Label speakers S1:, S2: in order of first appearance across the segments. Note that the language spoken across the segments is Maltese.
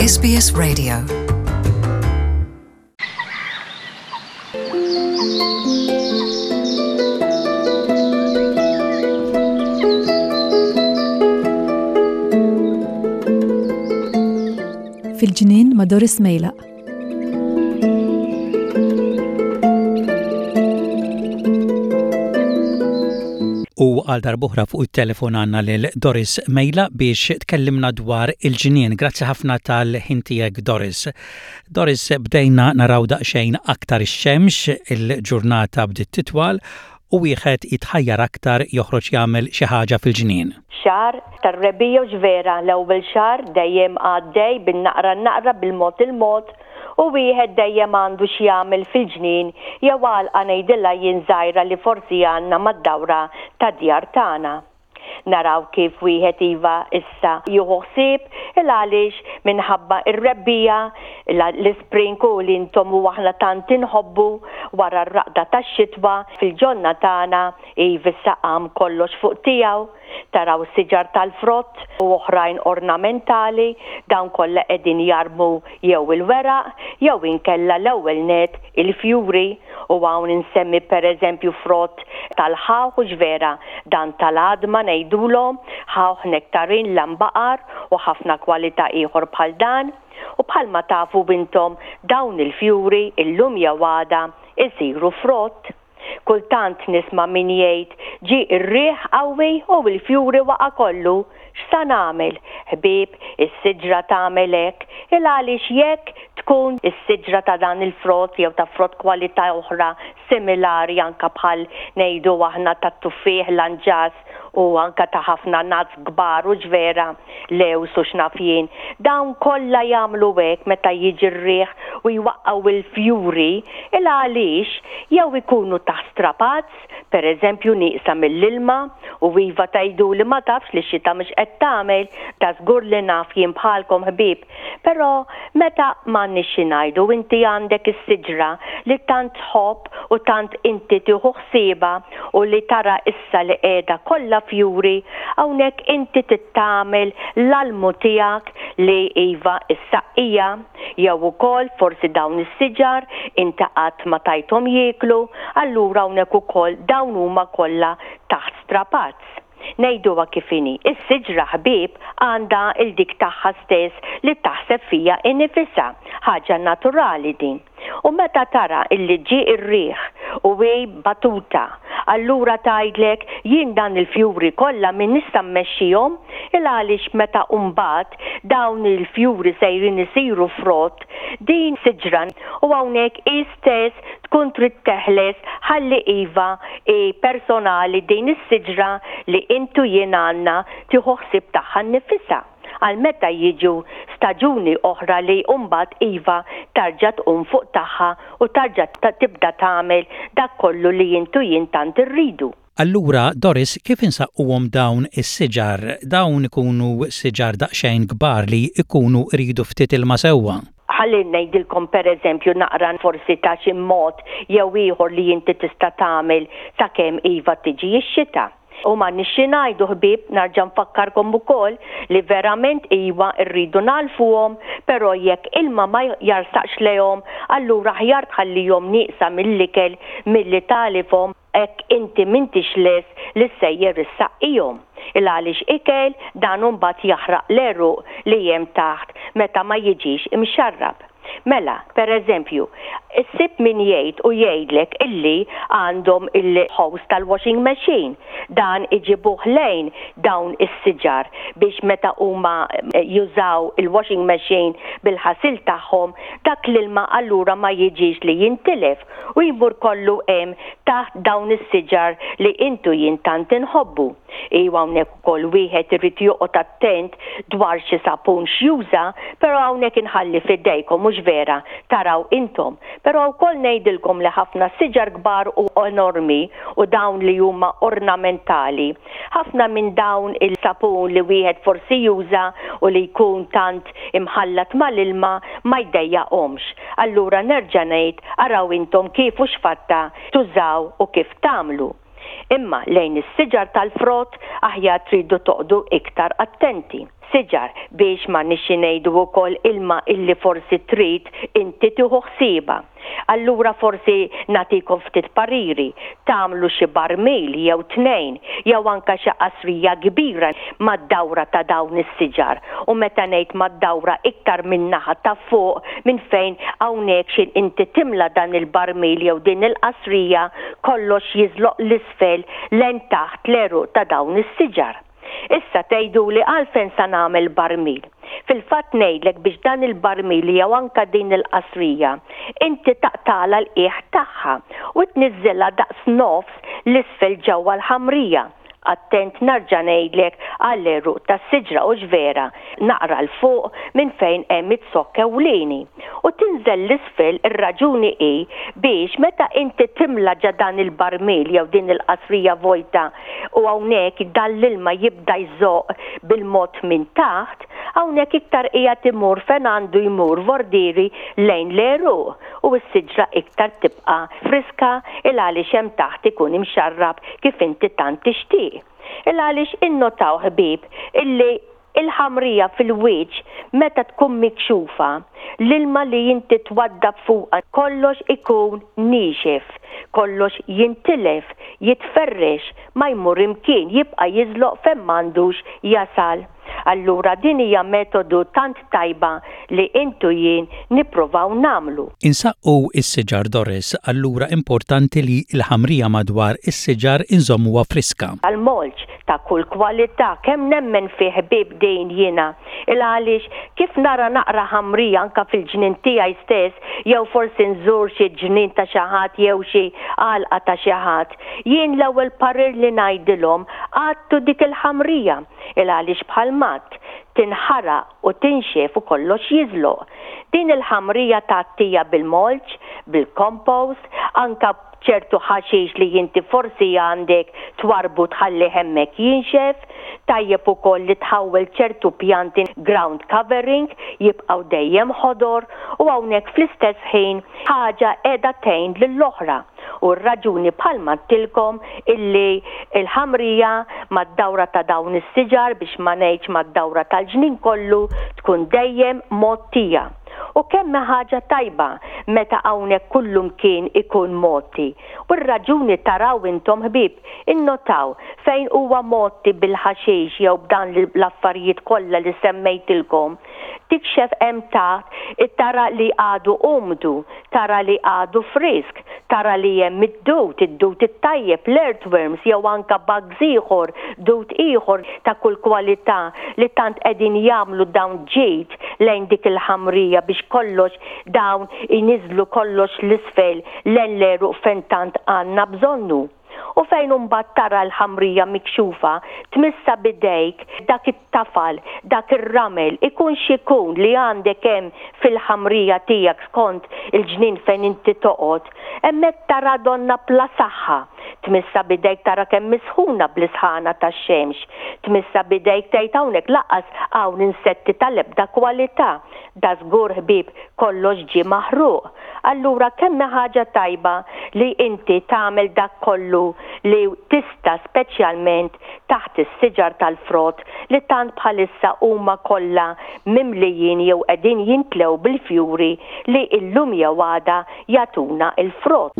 S1: SBS Radio.
S2: Fil-ġnien ma' Doris Mejlaq.
S3: U għal darbohra fuq it-telefon għandna lil Doris Mejla biex tkellimna dwar il-ġnien. Grazzi ħafna tal-ħin tiegħek Doris. Doris, bdejna naraw daqsxejn aktar ix-xemx, il-ġurnata bdiet titwal u wieħed jitħajjar aktar joħroġ jagħmel xi ħaġa fil-ġnien.
S4: Xahar tar-rebbiegħa hux vera, l-ewwel xahar dejjem għaddej bin-naqra n-naqra bil-mod il-mod u wieħed dejjem għandu x'jagħmel fil-ġnien jew għalqa ngħidilha jien żgħira li forsi għandna mad-dawra tad-djar tagħna. Naraw kif wieħed iva issa jieħu ħsieb il għaliex minħabba r-rebbiegħa, l-ispring u li intom u aħna tant inħobbu wara r-raqda tax-xitwa fil-ġonna tagħna iva issa qam kollox fuq tiegħu. Taraw siġar tal-frott u oħrajn ornamentali, dawn kollha qegħdin jarmu jew il-weraq jew inkella l-ewwel nett il-fjuri u hawn insemmi pereżempju frott tal-ħawħ hux vera dan tal-għadma ngħidulhom ħawħ nektarin lambaqar u ħafna kwalità ieħor bħal dan u bħalma tafu intom dawn il-fjuri illum jew għada isiru frott. Kultant nisma' min jgħid, ġie r-riħ qawwi u l-fjuri waqa' kollu. X'sa nagħmel? Ħbieb, is-siġra tagħmel hekk, il-għaliex jekk tkun is-siġra ta' dan il-frott jew ta' frott kwalità oħra similari anke bħal ngħidu aħna tat-tuffieħ, l-anġas u anke ta' ħafna nuts kbar hux vera, lewż u x'naf jien, dawn kollha jagħmlu hekk meta jiġi r-riħ u jwaqqgħu l-fjuri il-għaliex jew ikunu taħt strapazz, per eżempju nieqsa mill-ilma, u iva tgħiduli ma tafx li x-xita mhux qed tagħmel, dażgur li naf jien bħalkom ħbieb, Però meta m'għandniex xi ngħidu inti għandek is-siġra li tant tħobb u tant inti tieħu ħsiebha u li tara issa li qiegħda kollha fjuri, hawnhekk inti trid tagħmel l-almu tiegħek li iva ssaqqija jew ukoll forsi dawn is-siġar inti qatt ma tajthom jieklu, allura hawnhekk ukoll dawn huma kollha taħt strapazz. Ngħiduha kif inhi, is-siġra ħbieb għandha 'l dik tagħha stess li taħseb fiha inifisha, ħaġa naturali din. U meta tara illi ġie r-riħ u hi batuta, allura tgħidlek jien dan il-fjuri kollha min nista' mmexxihom, il għaliex meta mbagħad dawn il-fjuri sejrin isiru frott, din siġra u hawnhekk hi stess tkun trid teħles ħalli iva hi personali din is-siġra li int u jien għandna tieħu ħsieb tagħha nnifisha għal meta jiġu staġuni oħra li mbagħad iva tarġa' tqum fuq tagħha u tarġa' tibda tagħmel dak kollu li int u jien tant irridu.
S3: Allura, Doris, kif insaqquhom dawn is-siġar? Dawn ikunu siġar daqsxejn kbar li jkunu jridu ftit ilma sewwa.
S4: Ħalli ngħidilkom per eżempju naqra forsi ta' xi mod jew ieħor li inti tista' tagħmel sakemm iva tiġi x-xita. U m'għandniex xi ngħidu ħbieb, narġa' nfakkarkom ukoll li verament iwa rridu nagħlfuhom, però jekk ilma ma jarsaqx lejhom, allura aħjar tħallihom nieqsa mill-ikel milli tagħlifhom Hekk inti m'intix lest li ssejjer issaqqihom. Il-għaliex ikel dan u mbagħad jaħraq l-għeruq li hemm taħt meta ma jiġix imxarrab. Mela, per eżempju, issib min jgħid u jgħidlek illi għandhom il-hose tal-washing machine. Dan iġibuh lejn dawn is-siġar biex meta huma jużaw il-washing machine bil-ħasil tagħhom, dak l-ilma allura ma jiġix li jintilef. u jmur kollu hemm taħt dawn is-siġar li int u jien tant inħobbu. Iwa hawnhekk ukoll wieħed irid joqgħod attent dwar xi sapun x'juża, però hawnhekk inħalli f'idejkom mhux vera, taraw intom. Però wkoll ngħidilkom li ħafna siġar kbar u enormi u dawn li huma ornamentali, ħafna minn dawn il-sapun li wieħed forsi juża u li jkun tant imħallat mal-ilma ma jdejjaqhomx. Allura nerġa' ngħid araw intom kif u x'fatta tużaw u kif tagħmlu. Imma lejn is-siġar tal-frott aħjar tridu toqgħdu iktar attenti. Siġar biex ma nixxi ngħidu wkoll ilma illi forsi trid inti tieħu ħsiebha. Allura forsi nagħtikom ftit pariri, tagħmlu xi barmil jew tnejn jew anke xi qasrija kbira mad-dawra ta' dawn is-siġar u meta ngħid mad-dawra iktar min-naħa ta' fuq minn fejn hawnhekk x'in inti timla dan il-barmil jew din il-qasrija kollox jiżloq 'l isfel lejn taħt l-għeruq ta' dawn is-siġar. Issa tgħiduli għalfejn sa nagħmel barmil? Fil-fatt ngħidlek biex dan il-barmil jew anke din il-qasrija inti taqtagħlha l-qiegħ tagħha u tniżżilha daqs nofs 'l isfel ġewwa l-ħamrija. Attent nerġa' ngħidlek għall-għeruq tas-siġra hux vera, naqra 'l fuq minn fejn hemm iz-zokk ewlieni. U tinżel 'l isfel ir-raġuni hi biex meta inti timla ġa dan il-barmil jew din il-qasrija vojta u hawnhekk dan l-ilma jibda jżoqq bil-mod minn taħt, hawnhekk iktar qiegħed imur fejn għandu jmur vordieri lejn l-għeruq u s-siġra iktar tibqa' friska il għaliex hemm taħt ikun imxarrab kif inti tant tixtieq. Il għaliex innotaw ħbieb illi Il-ħamrija fil-wiċċ meta tkun mikxufa, l-ilma li inti twaddab fuqha kollox ikun niexef, kollox jintilef, jitferrex, ma jmur imkien, jibqa' jiżloq fejn m'għandux jasal. Allura din hija metodu tant tajba li int u jien nippruvaw nagħmlu.
S3: Insaqqu s-siġar Doris, allura importanti li l-ħamrija madwar is-siġar inżommuha friska.
S4: Tal-mulch ta' kull kwalità, kemm nemmen fih ħbieb din jiena. Il għaliex kif nara naqra ħamrija anke fil-ġnien tiegħi stess jew forsi nżur xi ġnien ta' xi ħadd jew xi għalqa ta' xi ħadd, jien l-ewwel parir li ngħidilhom għattu dik il-ħamrija. Il għaliex bħal m'għadt, tinħaraq u tinxef u kollox jiżloq. Din il-ħamrija tgħattija bil-mulch, bil-compost, anke b'ċertu ħaxix li inti forsi għandek twarrbu tħallih hemmhekk jinxef. Tajjeb ukoll li tħawwel ċertu pjanti ground covering jibqgħu dejjem ħodor u hawnhekk fl-istess ħin ħaġa qiegħda tgħin lill-oħra. U r-raġuni bħalma għedtilkom illi l-ħamrija mad-dawra ta' dawn is-siġar biex ma ngħidx mad-dawra tal-ġnien kollu tkun dejjem mgħottija. U kemm hi ħaġa tajba meta hawnhekk kullumkien ikun mgħotti. U r-raġuni taraw intom ħbieb, innotaw fejn huwa mgħotti bil-ħaxix jew b'dan l-affarijiet kollha li semmejtilkom, tikxef hemm taħt tara li għadu umdu, tara li għadu frisk, tara li hemm id-dud, id-dud it-tajjeb, l-earthworms jew anke bugs ieħor, dud ieħor ta' kull kwalità li tant qegħdin jagħmlu dawn ġid lejn dik il-ħamrija biex kollox dawn iniżżlu kollox 'l isfel lejn l-għeruq fejn tant għandna bżonnu. U fejn imbagħad tara l-ħamrija mikxufa, tmissha b'idejk, dak it-tafal, dak ir-ramel, ikun x'ikun li għandek hemm fil-ħamrija tiegħek skont il-ġnien fejn inti toqgħod, hemmhekk tara donnha bla saħħa. Tmissha b'idejk tara kemm hi sħuna bl-isħana tax-xemx. Tmissha b'idejk tgħid hawnhekk lanqas hawn insetti tal-ebda kwalità. Dażgur ħbieb kollox ġie maħruq. Allura kemm hi ħaġa tajba li inti tagħmel dak kollu li tista' speċjalment taħt is-siġar tal-frott li tant bħalissa huma kollha mimlijin jew qegħdin jintlew bil-fjuri li illum jew għada jagħtuna l-frott.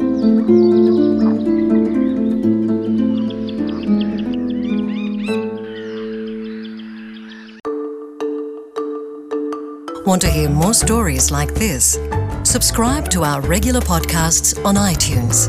S1: Want to hear more stories like this? Subscribe to our regular podcasts on iTunes.